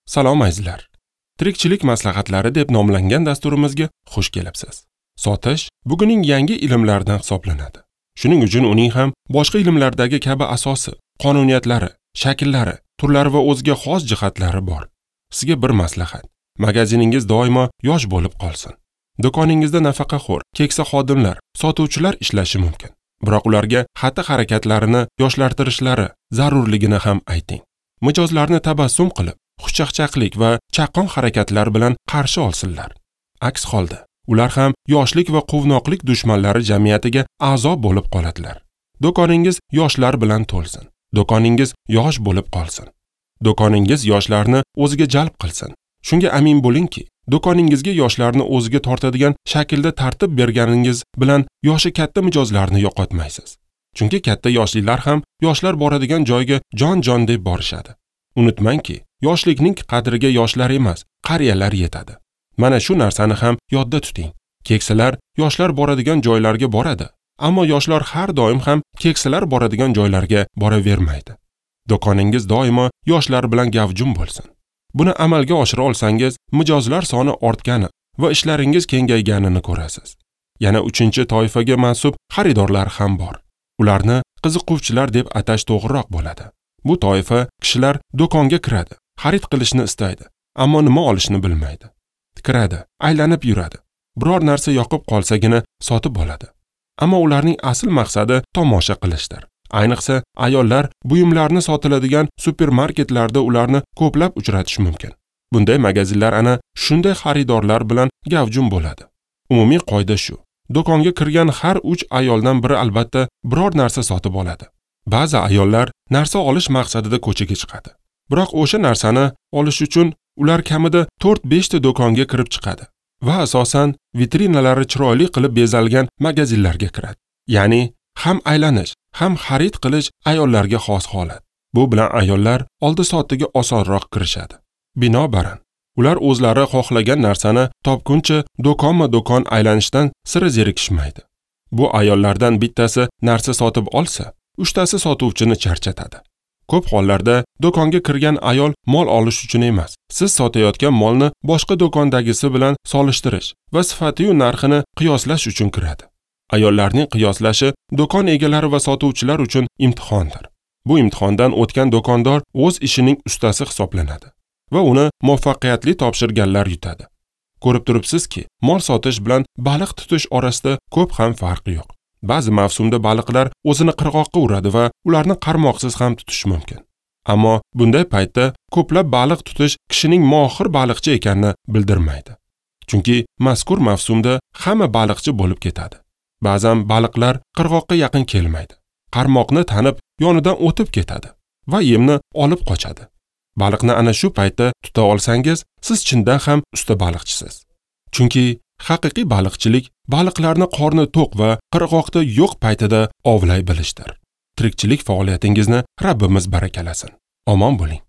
Salom azizlar. Tirikchilik maslahatlari deb nomlangan dasturimizga xush kelibsiz. Sotish bugunning yangi ilmlaridan hisoblanadi. Shuning uchun uning ham boshqa ilmlardagi kabi asosi, qonuniyatlari, shakllari, turlari va o'ziga xos jihatlari bor. Sizga bir maslahat. Magaziningiz doimo yosh bo'lib qolsin. Do'koningizda nafaqaxo'r, keksa xodimlar, sotuvchilar ishlashi mumkin. Biroq ularga xatti-harakatlarini yoshlartirishlari zarurligini ham ayting. Mijozlarni tabassum qilib, xushchaqchaqlik va chaqqon harakatlar bilan qarshi olsinlar. Aks holda ular ham yoshlik va quvnoqlik dushmanlari jamiyatiga a'zo bo'lib qoladilar. Do'koningiz yoshlar bilan to'lsin. Do'koningiz yosh bo'lib qolsin. Do'koningiz yoshlarni o'ziga jalb qilsin. Shunga amin bo'lingki, do'koningizga yoshlarni o'ziga tortadigan shaklda tartib berganingiz bilan yoshi katta mijozlarni yo'qotmaysiz. Chunki katta yoshlilar ham yoshlar boradigan joyga jon-jon deb borishadi. Unutmangki, yoshlikning qadriga yoshlar emas, qariyalar yetadi. Mana shu narsani ham yodda tuting. Keksalar yoshlar boradigan joylarga boradi, ammo yoshlar har doim ham keksalar boradigan joylarga boravermaydi. Do'koningiz doimo yoshlar bilan gavjum bo'lsin. Buni amalga oshira olsangiz, mijozlar soni ortgani va ishlaringiz kengayganini ko'rasiz. Yana 3-toifaga mansub xaridorlar ham bor. Ularni qiziquvchilar deb atash to'g'riroq bo'ladi. Bu toifa kishilar do'konga kiradi, xarid qilishni istaydi, ammo nima olishni bilmaydi. Kiradi, aylanib yuradi. Biror narsa yoqib qolsagina sotib oladi. Ammo ularning asl maqsadi tomosha qilishdir. Ayniqsa ayollar buyumlarni sotiladigan supermarketlarda ularni ko'plab uchratish mumkin. Bunday magazinlar ana shunday xaridorlar bilan gavjum bo'ladi. Umumiy qoida shu. Do'konga kirgan har 3 ayoldan biri albatta biror narsa sotib oladi. Ba'zi ayollar narsa olish maqsadida ko'chaga chiqadi. Biroq o'sha narsani olish uchun ular kamida 4-5 ta do'konga kirib chiqadi va asosan vitrinalari chiroyli qilib bezalgan magazinlarga kiradi. Ya'ni ham aylanish, ham xarid qilish ayollarga xos holat. Bu bilan ayollar oldi-sotdiga osonroq kirishadi. Binobarin, ular o'zlari xohlagan narsani topguncha do'konma-do'kon aylanishdan sira zerikishmaydi. Bu ayollardan bittasi narsa sotib olsa, 3 tasi sotuvchini charchatadi. Ko'p hollarda do'konga kirgan ayol mol olish uchun emas, siz sotayotgan molni boshqa do'kondagisi bilan solishtirish va sifati-yu narxini qiyoslash uchun kiradi. Ayollarning qiyoslashi do'kon egalari va sotuvchilar uchun imtihondir. Bu imtihondan o'tgan do'kondor o'z ishining ustasi hisoblanadi va uni muvaffaqiyatli topshirganlar yutadi. Ko'rib turibsizki, mol sotish bilan baliq tutish orasida ko'p ham farq yo'q. Ba'zi mavsumda baliqlar o'zini qirg'oqqa uradi va ularni qarmoqsiz ham tutish mumkin. Ammo bunday paytda ko'plab baliq tutish kishining mohir baliqchi ekanini bildirmaydi. Chunki mazkur mavsumda hamma baliqchi bo'lib ketadi. Ba'zan baliqlar qirg'oqqa yaqin kelmaydi. Qarmoqni tanib, yonidan o'tib ketadi va yemni olib qochadi. Baliqni ana shu paytda tuta olsangiz, siz chindan ham usta baliqchisiz. Chunki haqiqiy baliqchilik baliqlarni qorni to'q va qirg'oqda yo'q paytida ovlay bilishdir. Tirikchilik faoliyatingizni Rabbimiz barakalasin. Omon bo'ling.